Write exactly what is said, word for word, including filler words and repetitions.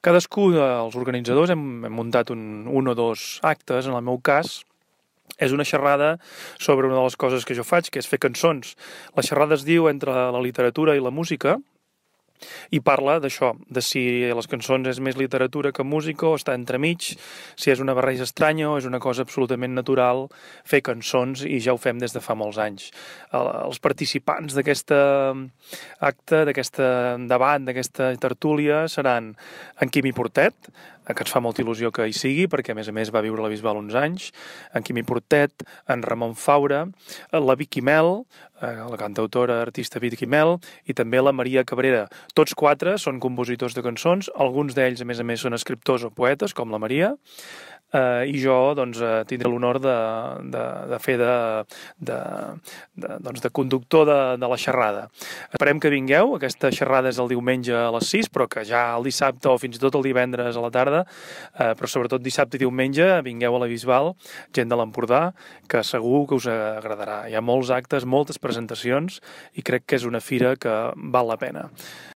Cadascú dels organitzadors hem, hem muntat un, un o dos actes. En el meu cas, és una xerrada sobre una de les coses que jo faig, que és fer cançons. La xerrada es diu Entre la literatura i la música, i parla d'això, de si les cançons és més literatura que música o està entremig, si és una barreja estranya o és una cosa absolutament natural fer cançons, i ja ho fem des de fa molts anys. Els participants d'aquest acte, d'aquest debat, d'aquesta tertúlia seran en Quimi Portet, que ens fa molta il·lusió que hi sigui, perquè a més a més va viure a la Bisbal uns anys, en Quimi Portet, en Ramon Faura, la Vicky Mel, la cantautora artista Vicky Mel, i també la Maria Cabrera. Tots quatre són compositors de cançons, alguns d'ells a més a més són escriptors o poetes, com la Maria, eh, i jo doncs, tindré l'honor de, de, de fer de, de, de, doncs, de conductor de, de la xerrada. Esperem que vingueu. Aquesta xerrada és el diumenge a les sis, però que ja el dissabte o fins i tot el divendres a la tarda, eh, però sobretot dissabte i diumenge, vingueu a la Bisbal, gent de l'Empordà, que segur que us agradarà. Hi ha molts actes, moltes presentacions, i crec que és una fira que val la pena.